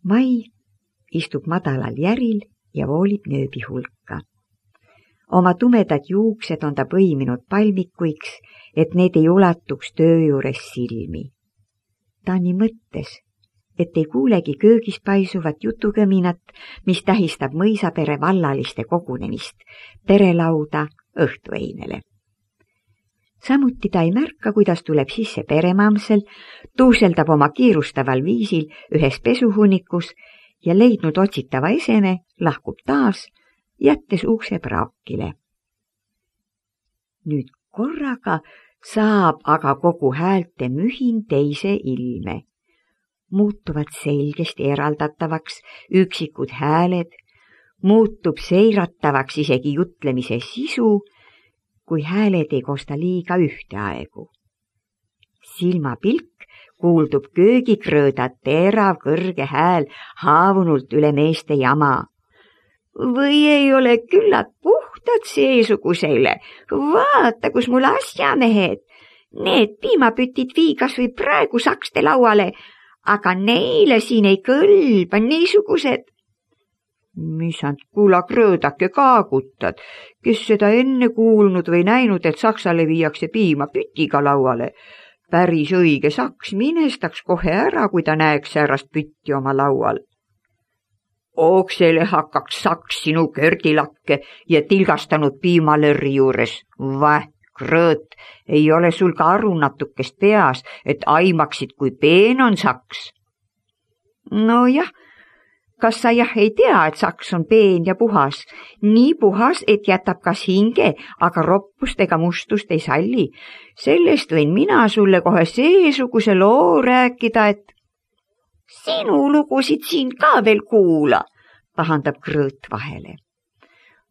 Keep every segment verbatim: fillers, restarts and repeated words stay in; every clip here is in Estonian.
Mai istub madalal järil ja voolib nööbi hulka. Oma tumedad juuksed on ta põiminud palmikuiks, et need ei ulatuks töö juures silmi. Ta nii mõttes, et ei kuulegi köögis paisuvat jutukõminat, mis tähistab mõisapere vallaliste kogunemist, perelauda õhtueinele. Samuti ta ei märka, kuidas tuleb sisse peremamsel, tuuseldab oma kiirustaval viisil ühes pesuhunnikus ja leidnud otsitava eseme, lahkub taas, jättes ukse praakile. Nüüd korraga saab aga kogu häälte mühin teise ilme. Muutuvad selgesti eraldatavaks üksikud hääled, muutub seiratavaks isegi jutlemise sisu, kui hääled ei kosta liiga ühteaegu. Silmapilk kuuldub köögikrõõda terav kõrge hääl haavunult üle meeste jama. Või ei ole küllalt puhtad seesugusele, vaata, kus mul asjamehed. Need piimapütid vii kas või praegu sakste lauale, aga neile siin ei kõlba niisugused. Mis and kuula krõõdake kaagutad, kes seda enne kuulnud või näinud, et saksale viiakse piimapütiga lauale. Päris õige saks minestaks kohe ära, kui ta näeks säärast pütti oma laual. Oksele hakkaks saks sinu kördilakke ja tilgastanud piimalõrri juures. Väh, krõõt, ei ole sul ka aru natukest peas, et aimaksid, kui peen on saks. No jah, kas sa jah ei tea, et saks on peen ja puhas, nii puhas, et jätab kas hinge, aga roppust ega mustust ei salli. Sellest võin mina sulle kohe seesuguse loo rääkida, et sinu lugusid siin ka veel kuula, pahandab krõõt vahele.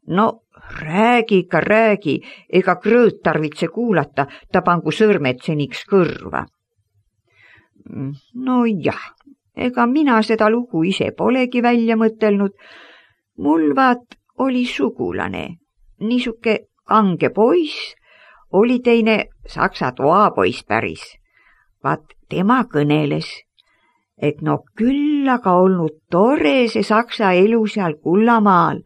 No räägi ikka räägi, ega krõõt tarvitse kuulata, ta pangu sõrmed seniks kõrva. No jah, ega mina seda lugu ise polegi välja mõtelnud. Mul vaat oli sugulane, niisuke kange poiss, oli teine saksa toapoiss päris. Vaat tema kõneles, et no küll aga olnud tore see saksa elu seal Kullamaal,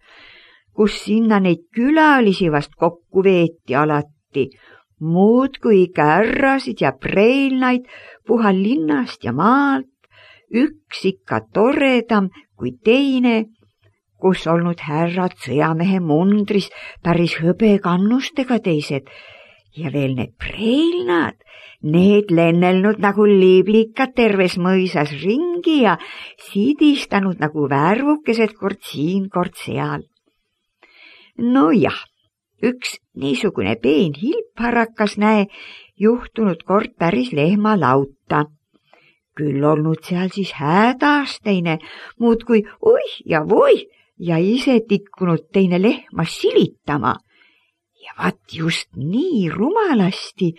kus sinna neid külalisi vast kokku veeti alati, muudkui kärrasid ja preilnaid puhal linnast ja maalt, üks ikka toredam kui teine, kus olnud härrad sõjamehe mundris, päris hõbekannustega teised, ja veel need preilnad, need lennelnud nagu liiblikad terves mõisas ringi ja sidistanud nagu värvukesed kord siin, kord seal. No jah, üks niisugune peen hilpharakas näe, juhtunud kord päris lehmalauta. Küll olnud seal siis hädas teine, muudkui oih ja voih ja ise tikkunud teine lehma silitama. Ja vaat just nii rumalasti,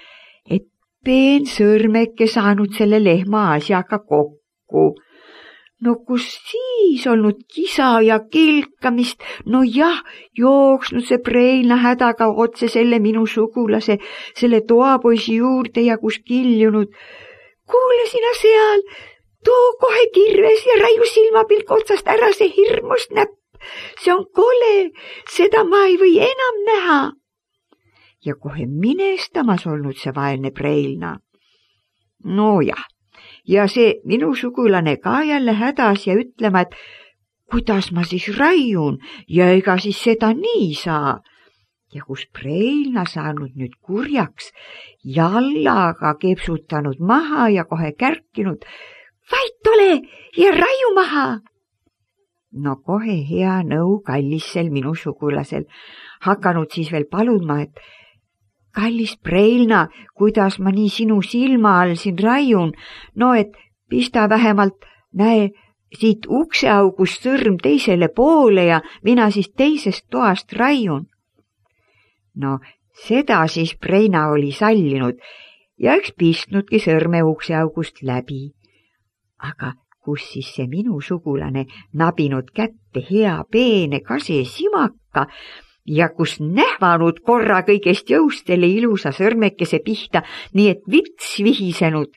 et peen sõrmeke saanud selle lehma asjaga kokku. No kus siis olnud kisa ja kilkamist, no jah, jooksnud see preilna hädaga otse selle minu sugulase, selle toapoisi juurde ja kus kiljunud. Kuule sina seal, too kohe kirves ja raiu silmapilk otsast ära see hirmust näpp. See on kole, seda ma ei või enam näha. Ja kohe minestamas olnud see vaelne preilna. No jah, ja see minu sugulane ka jälle hädas ja ütlema, et kuidas ma siis raiun ja ega siis seda nii saa. Ja kus preilna saanud nüüd kurjaks, jallaga kepsutanud maha ja kohe kärkinud, vait ole ja raiu maha. No kohe hea nõu kallissel minu sugulasel, hakanud siis veel paluma, et kallis preilna, kuidas ma nii sinu silma all siin raiun, no et pista vähemalt, näe, siit ukseaugust sõrm teisele poole ja mina siis teisest toast raiun. No seda siis preina oli sallinud ja eks pistnudki sõrme ukseaugust läbi. Aga kus siis see minu sugulane nabinud kätte hea peene kase simaka ja kus nähvanud korra kõigest jõust selle ilusa sõrmekese pihta, nii et vits vihisenud.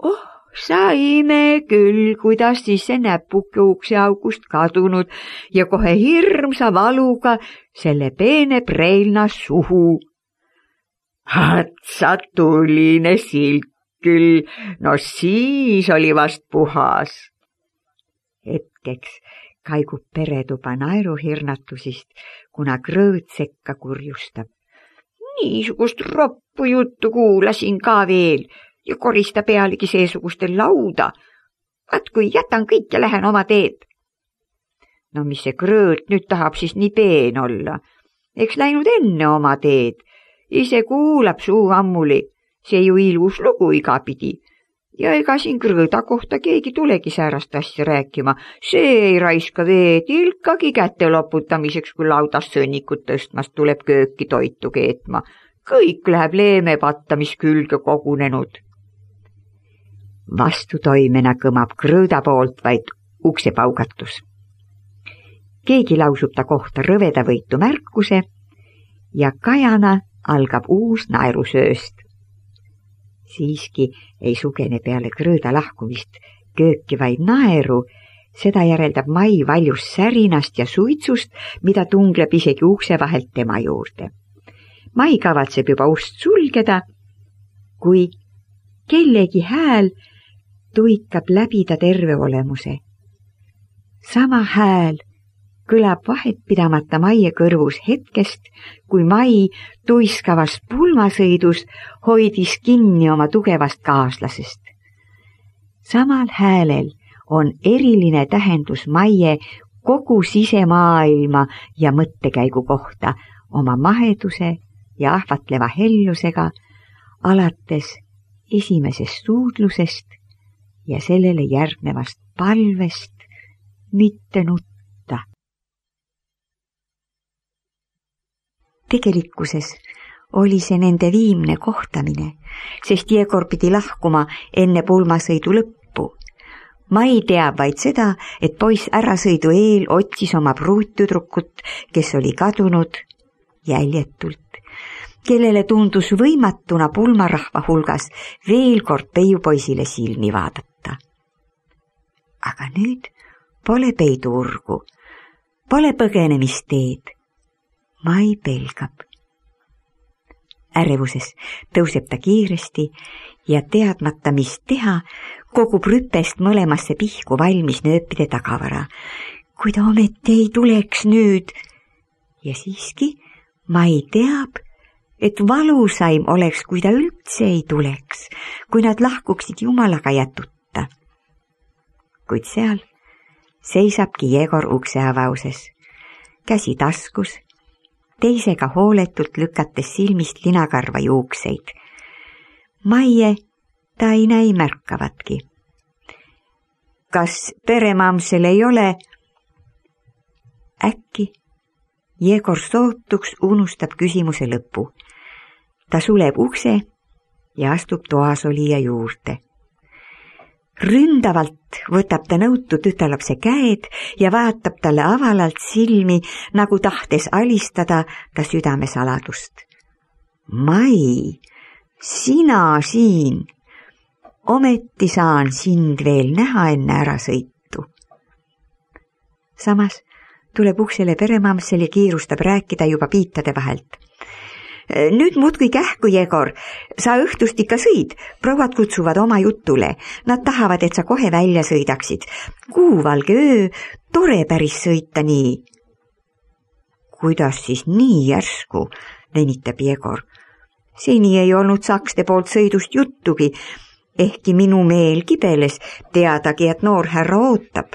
Oh, saime küll, kuidas siis see näpuke ukseaugust kadunud ja kohe hirmsa valuga selle peene preilna suhu. Hatsa tuline silk küll, no siis oli vast puhas. Hetkeks kaigub peretuba naeruhirnatusist, kuna krõõt sekka kurjustab. Niisugust roppu juttu kuulasin ka veel ja korista pealegi seesugustel lauda. Vaat kui jätan kõik ja lähen oma teed. No mis see krõõt nüüd tahab siis nii peen olla? Eks läinud enne oma teed. Ise kuulab suu ammuli. See ju ilus lugu igapidi. Ja ega siin krõõda kohta keegi tulegi säärast asja rääkima. See ei raiska veed ilkagi kätte loputamiseks, kui laudast sõnnikut tõstmast tuleb kööki toitu keetma. Kõik läheb leemepatta, mis külge kogunenud. Vastutoimena kõmab krõõda poolt vaid uksepaugatus. Keegi lausub ta kohta rõvedavõitu märkuse ja kajana algab uus naerusööst. Siiski ei sugene peale krõõda lahkumist kööki vaid naeru, seda järeldab Mai valjus särinast ja suitsust, mida tungleb isegi ukse vahelt tema juurde. Mai kavatseb juba ust sulgeda, kui kellegi hääl tuikab läbi ta terve olemuse. Sama hääl kõlab vahet pidamata Maie kõrvus hetkest, kui Mai tuiskavas pulmasõidus hoidis kinni oma tugevast kaaslasest. Samal häälel on eriline tähendus Maie kogu sisemaailma ja mõttekäigu kohta oma maheduse ja ahvatleva hellusega alates esimesest suudlusest ja sellele järgnevast palvest mitte nutta. Tegelikkuses oli see nende viimne kohtamine, sest Jegor pidi lahkuma enne pulmasõidu lõppu. Mai teab vaid seda, et poiss ärasõidu eel otsis oma pruuttüdrukut, kes oli kadunud jäljetult, kellele tundus võimatuna pulmarahva hulgas veel kord peiupoisile silmi vaadata. Aga nüüd pole peiduurgu, pole põgenemisteed. Mai pelgab. Ärevuses tõuseb ta kiiresti ja teadmata, mis teha, kogub rüpest mõlemasse pihku valmis nööpide tagavara. Kui ta ometi ei tuleks nüüd. Ja siiski Mai teab, et valusaim oleks, kui ta üldse ei tuleks, kui nad lahkuksid jumalaga jätuta. Kuid seal seisabki Jegor ukse avauses, käsi taskus, teisega hooletult lükates silmist linakarva juukseid. Maie ta ei näi märkavatki. Kas peremamsel ei ole? Äkki Jegor sootuks unustab küsimuse lõpu. Ta suleb ukse ja astub toasolija juurde. Ründavalt võtab ta nõutu tütarlapse käed ja vaatab talle avalalt silmi, nagu tahtes alistada ta südamesaladust. Mai, sina siin, ometi saan sind veel näha enne ärasõitu. Samas tuleb uksele peremamsel ja kiirustab rääkida juba piitade vahelt. Nüüd muudkui kähku, Jegor, sa õhtust ikka sõid, prouad kutsuvad oma jutule, nad tahavad, et sa kohe välja sõidaksid. Kuuvalge öö, tore päris sõita nii. Kuidas siis nii järsku, venitab Jegor. Seni ei olnud sakste poolt sõidust juttugi, ehkki minu meel kibeles teadagi, et noor härra ootab.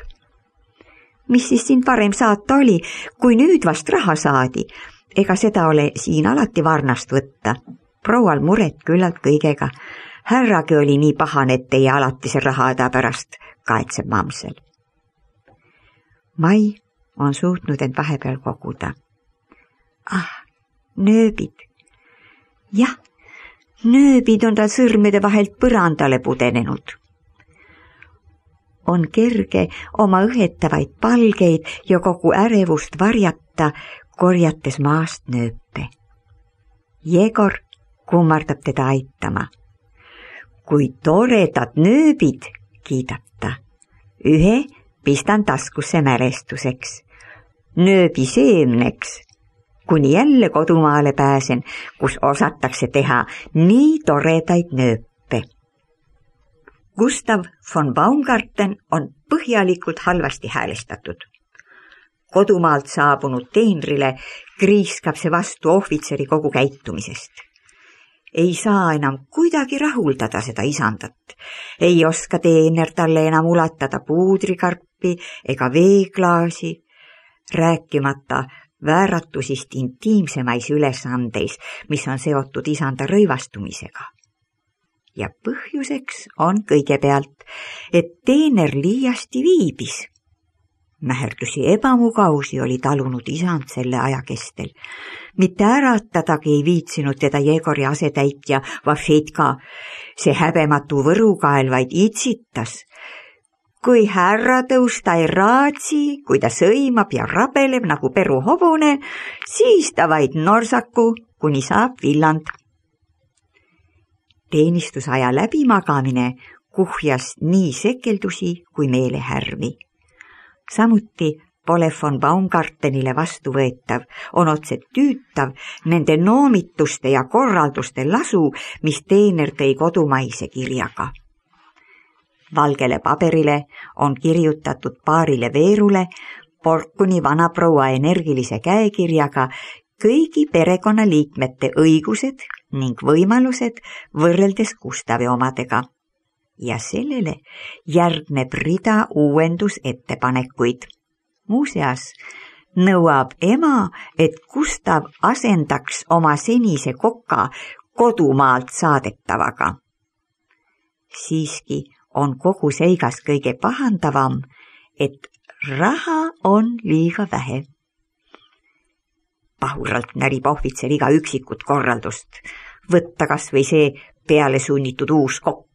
Mis siis sind varem saata oli, kui nüüd vast raha saadi? Ega seda ole siin alati varnast võtta. Proual muret küllalt kõigega. Härragi oli nii pahane, et teie alatise rahada pärast, kaetseb mamsel. Mai on suutnud end vahepeal koguda. Ah, nööbid. Jah, nööbid on tal sõrmede vahelt põrandale pudenenud. On kerge oma õhetavaid palgeid ja kogu ärevust varjata, korjates maast nööpe. Jegor kummardab teda aitama. kui toredad nööbid, kiidab ta. Ühe pistan taskusse mälestuseks, nööbi seemneks, kuni jälle kodumaale pääsen, kus osatakse teha nii toredaid nööpe. Gustav von Baumgarten on põhjalikult halvasti häälestatud. Kodumaalt saabunud teenrile kriiskab see vastu ohvitseri kogu käitumisest. Ei saa enam kuidagi rahuldada seda isandat. Ei oska teener talle enam ulatada puudrikarpi ega veeklaasi, rääkimata vääratusist intiimsemais ülesandeis, mis on seotud isanda rõivastumisega. Ja põhjuseks on kõigepealt, et teener liiasti viibis. Mäherdusi ebamugavusi oli talunud isand selle aja kestel. Mitte äratadagi ei viitsinud teda Jegori asetäitja Vafetka. See häbematu võrukael vaid itsitas. Kui härra tõusta ei raatsi, kui ta sõimab ja rabeleb nagu peruhobune, siis ta vaid norsaku, kuni saab villand. Teenistusaja läbimagamine kuhjas nii sekeldusi kui meelehärmi. Samuti pole von Baumgartenile vastuvõetav, on otse tüütav nende noomituste ja korralduste lasu, mis teener tõi kodumaise kirjaga. Valgele paberile on kirjutatud paarile veerule Porkuni vanaproua energilise käekirjaga kõigi perekonnaliikmete õigused ning võimalused võrreldes Gustavi omadega. Ja sellele järgneb rida uuendusettepanekuid. Muuseas nõuab ema, et Gustav asendaks oma senise koka kodumaalt saadetavaga. Siiski on kogu seigas kõige pahandavam, et raha on liiga vähe. Pahuralt närib ohvitser iga üksikut korraldust, võtta kas või see peale sunnitud uus kokk.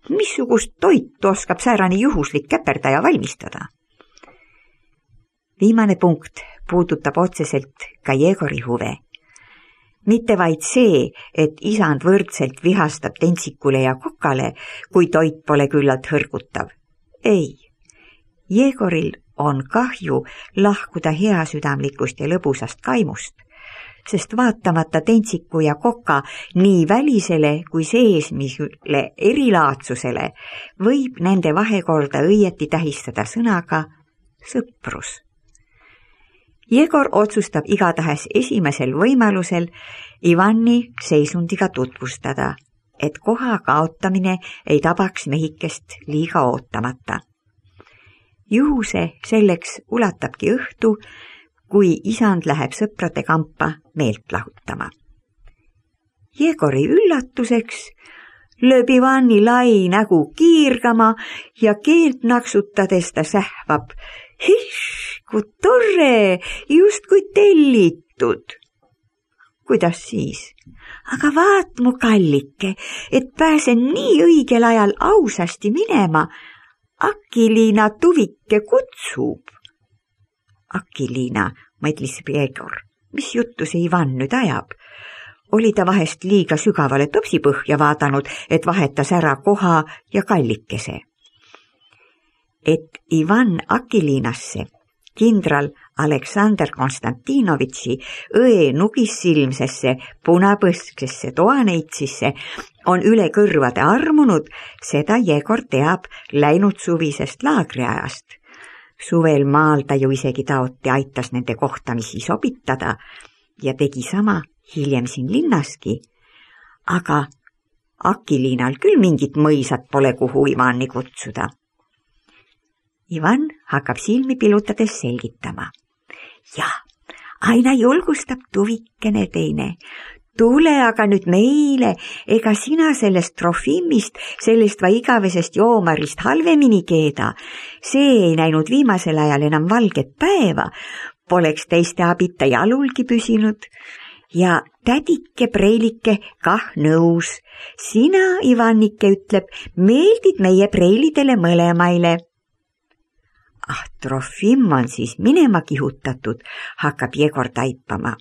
Missugust toitu oskab säärani juhuslik käperdaja valmistada? Viimane punkt puudutab otseselt ka Jegori huve. Mitte vaid see, et isand võrdselt vihastab tentsikule ja kokale, kui toit pole küllalt hõrgutav. Ei, Jegoril on kahju lahkuda heasüdamlikust ja lõbusast kaimust, sest vaatamata tentsiku ja koka nii välisele kui seesmisele erilaadsusele võib nende vahekorda õieti tähistada sõnaga sõprus. Jegor otsustab igatahes esimesel võimalusel Ivani seisundiga tutvustada, et koha kaotamine ei tabaks mehikest liiga ootamata. Juhuse selleks ulatabki õhtu, kui isand läheb sõprade kampa meelt lahutama. Jegori üllatuseks lööb Ivani lai nägu kiirgama ja keelt naksutades ta sähvab. Hiš, kui tore, just kui tellitud. Kuidas siis? Aga vaat mu kallike, et pääsen nii õigel ajal ausasti minema. Akiliina Tuvike kutsub. Akiliina, mõtlis Jegor, mis juttu see Ivan nüüd ajab? Oli ta vahest liiga sügavale topsipõhja vaadanud, et vahetas ära koha ja kallikese. Et Ivan Akiliinasse, kindral Aleksander Konstantinovitši õe nugissilmsesse punapõsksesse toaneitsisse on üle kõrvade armunud, seda Jegor teab läinud suvisest laagriajast. Suvel maal ta ju isegi taoti aitas nende kohtamisi sobitada ja tegi sama hiljem siin linnaski. Aga Akiliinal küll mingit mõisat pole, kuhu Ivani kutsuda. Ivan hakkab silmi pilutades selgitama. Ja, aina julgustab Tuvikene teine. Tule aga nüüd meile, ega sina sellest Trofimist, sellest va igavesest joomarist halvemini keeda. See ei näinud viimasel ajal enam valget päeva, poleks teiste abita jalulgi püsinud. Ja tädike preilike kah nõus. Sina, Ivannike, ütleb, meeldid meie preilidele mõlemaile. Ah, Trofim on siis minema kihutatud, hakkab Jegor taipama.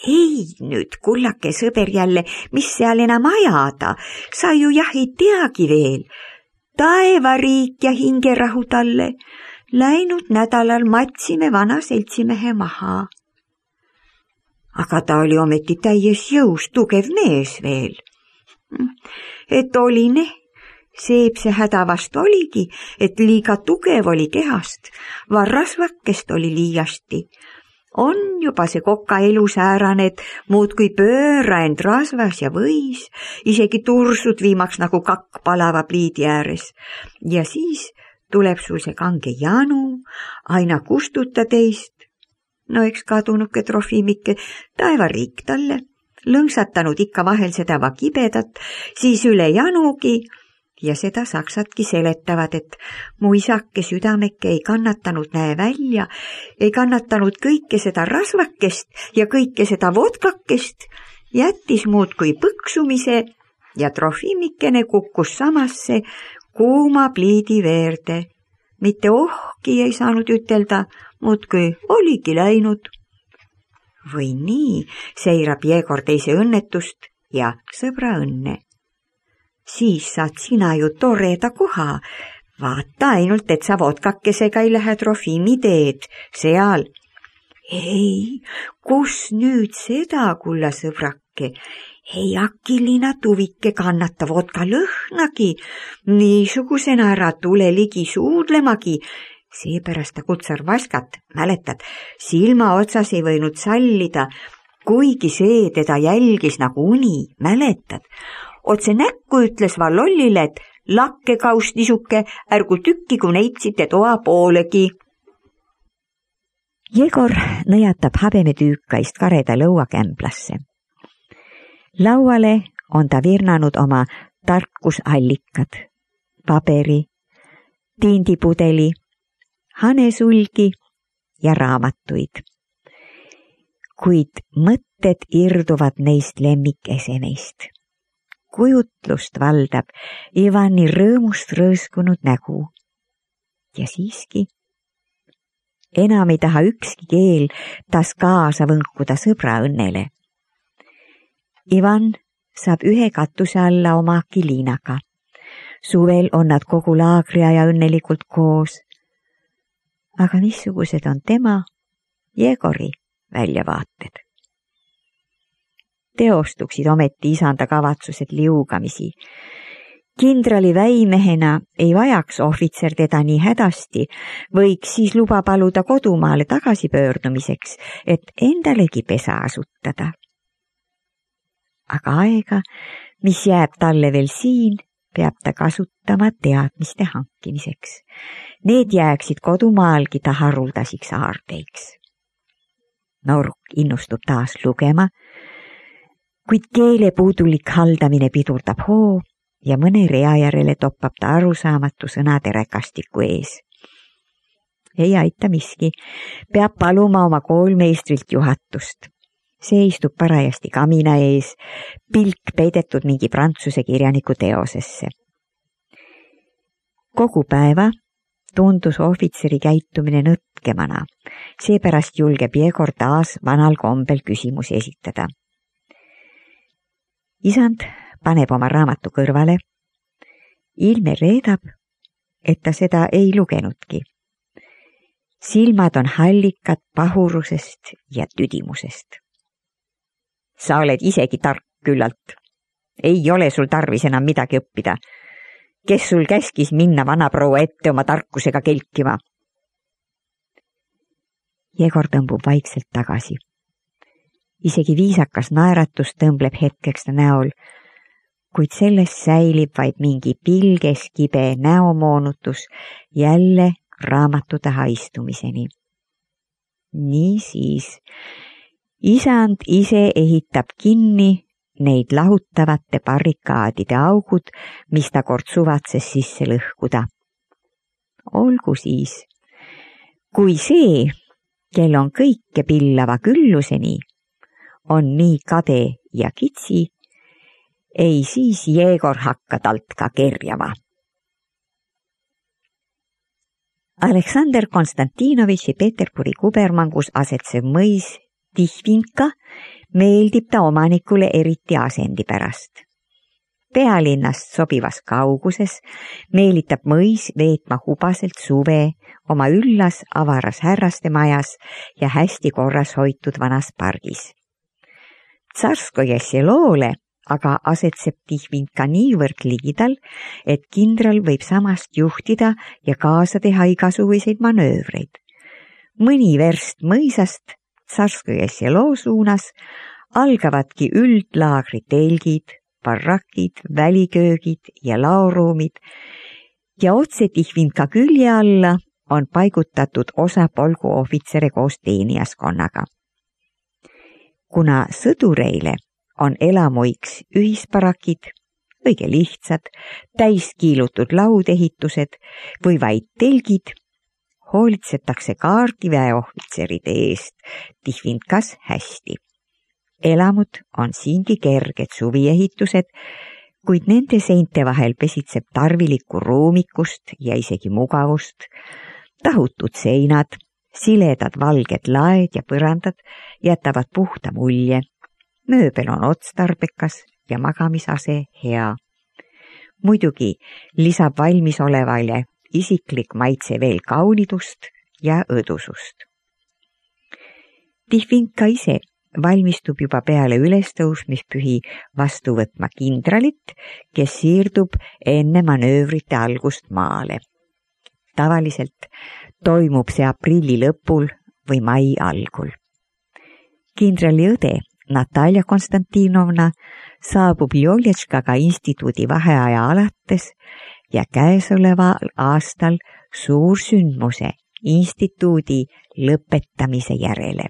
ei nüüd, kullake sõber jälle, mis seal enam ajada, sa ju jah ei teagi veel. Taevariik ja hingerahu talle. Läinud nädalal matsime vana seltsimehe maha. Aga ta oli ometi täies jõus tugev mees veel. Et oli ne, seeb see häda vast oligi, et liiga tugev oli kehast, varrasvakkest oli liiasti. On juba see koka elu säärane, et muudkui pööra end rasvas ja võis, isegi tursud viimaks nagu kakk palava pliidi ääres. Ja siis tuleb sul see kange janu, aina kustuta teist. No eks kadunuke Trofimike, taevariik talle, lõngsatanud ikka vahel seda va kibedat, siis üle janugi, ja seda saksatki seletavad, et mu isake südameke ei kannatanud näe välja, ei kannatanud kõike seda rasvakest ja kõike seda vodkakest, jättis muudkui põksumise ja Trofimikene kukkus samasse kuuma pliidi veerde. Mitte ohki ei saanud ütelda, muudkui oligi läinud. Või nii seirab Jegor teise õnnetust ja sõbra õnne. Siis saad sina ju toreda koha. Vaata ainult, et sa vodkakesega ei lähe Trofimi teed seal. Ei, kus nüüd seda, kulla sõbrake? Ei akilina tuvike kannata vodka lõhnagi. Niisugusena ära tule ligi suudlemagi. Seepärast ta kutsar Vaskat, mäletad, silma otsas ei võinud sallida, kuigi see teda jälgis nagu uni, mäletad. Otse näkku ütles Vallollile, et lakkekaust nisuke, ärgu tükki, kui neitsite toa poolegi. Jegor nõjatab habemetüükaist kareda lõuakämblasse. Lauale on ta virnanud oma tarkusallikad, paberi, tindipudeli, hanesulgi ja raamatuid. Kuid mõtted irduvad neist lemmikesemeist. Kujutlust valdab Ivani rõõmust rõõskunud nägu. Ja siiski enam ei taha ükski keel taas kaasa võnkuda sõbra õnnele. Ivan saab ühe katuse alla oma Akiliinaga. Suvel on nad kogu laagriaja õnnelikult koos. Aga missugused on tema, Jegori väljavaated? Teostuksid ometi isanda kavatsused liugamisi. Kindrali väimehena ei vajaks ohvitser teda nii hädasti, võiks siis luba paluda kodumaale tagasipöördumiseks, et endalegi pesa asutada. Aga aega, mis jääb talle veel siin, peab ta kasutama teadmiste hankimiseks. Need jääksid kodumaalgi ta haruldasiks aardeiks. Noruk innustub taas lugema, kuid keele puudulik haldamine pidurdab hoo ja mõne rea järele toppab ta arusaamatu sõnade räkastiku ees. Ei aita miski, peab paluma oma koolmeistrilt juhatust. See istub parajasti kamina ees, pilk peidetud mingi prantsuse kirjaniku teosesse. Kogu päeva tundus ohvitseri käitumine nõtkemana, seepärast julgeb Jegor taas vanal kombel küsimusi esitada. Isand paneb oma raamatu kõrvale. Ilme reedab, et ta seda ei lugenudki. Silmad on hallikad pahurusest ja tüdimusest. Sa oled isegi tark küllalt. Ei ole sul tarvis enam midagi õppida. Kes sul käskis minna vanaproua ette oma tarkusega kelkima? Jegor tõmbub vaikselt tagasi. Isegi viisakas naeratus tõmbleb hetkeks ta näol, kuid sellest säilib vaid mingi pilges kibe näomoonutus jälle raamatu taha istumiseni. Niisiis, isand ise ehitab kinni neid lahutavate barrikaadide augud, mis ta kord suvatses sisse lõhkuda. Olgu siis, kui see, kel on kõike pillava külluseni, on nii kade ja kitsi, ei siis Jegor hakka talt ka kerjama. Aleksandr Konstantinovitši Peterburi kubermangus asetsev mõis Tihvinka, meeldib ta omanikule eriti asendi pärast. Pealinnast sobivas kauguses meelitab mõis veetma hubaselt suve oma üllas avaras härraste majas ja hästi korras hoitud vanas pargis. Tsarskoje seloole aga asetseb Tihvinka niivõrd ligidal, et kindral võib samast juhtida ja kaasa teha igasuguseid manöövreid. Mõni verst mõisast Tsarskoje selo suunas algavadki üldlaagri telgid, barrakid, väliköögid ja laoruumid ja otse Tihvinka külje alla on paigutatud osa polgu ohvitsere koos teenijaskonnaga. Kuna sõdureile on elamuiks ühisparakid, õige lihtsad, täiskiilutud laudehitused või vaid telgid, hoolitsetakse kaardiväe ohvitseride eest Tihvinkas hästi. Elamud on siingi kerged suviehitused, kuid nende seinte vahel pesitseb tarvilikku ruumikust ja isegi mugavust, tahutud seinad, siledad valged laed ja põrandad jätavad puhta mulje, mööbel on otstarbekas ja magamisase hea. Muidugi lisab valmisolevale isiklik maitse veel kaunidust ja õdusust. Tihvinka ise valmistub juba peale ülestõusmispühi vastu võtma kindralit, kes siirdub enne manöövrite algust maale. Tavaliselt toimub see aprilli lõpul või mai algul. Kindrali õde Natalja Konstantinovna saabub Jolječkaga instituudi vaheaja alates ja käesoleval aastal suursündmuse instituudi lõpetamise järele.